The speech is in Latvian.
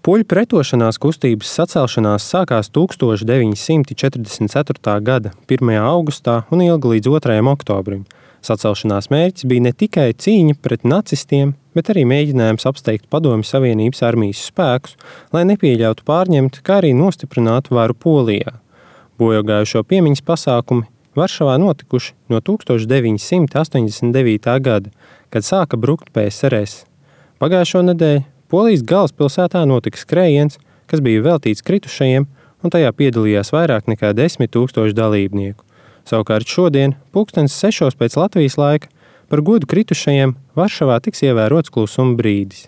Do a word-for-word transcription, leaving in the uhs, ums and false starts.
Poļu pretošanās kustības sacelšanās sākās tūkstoš deviņi simti četrdesmit ceturtā gada pirmajā augustā un ilga līdz otrajam oktobrim. Sacelšanās mērķis bija ne tikai cīņa pret nacistiem, bet arī mēģinājums apsteigt Padomju Savienības armijas spēkus, lai nepieļautu pārņemt, kā arī nostiprinātu varu Polijā. Bojogājušo piemiņas pasākumi Varšavā notikuši no tūkstoš deviņi simti astoņdesmit devītā gada, kad sāka brukt P S R S. Pagājušo nedēļu Polijas galvaspilsētā notika skrējiens, kas bija veltīts kritušajiem, un tajā piedalījās vairāk nekā desmit tūkstoši dalībnieku. Savukārt šodien, pulkstenes sešos pēc Latvijas laika, par godu kritušajiem Varšavā tiks ievērots klusuma brīdis.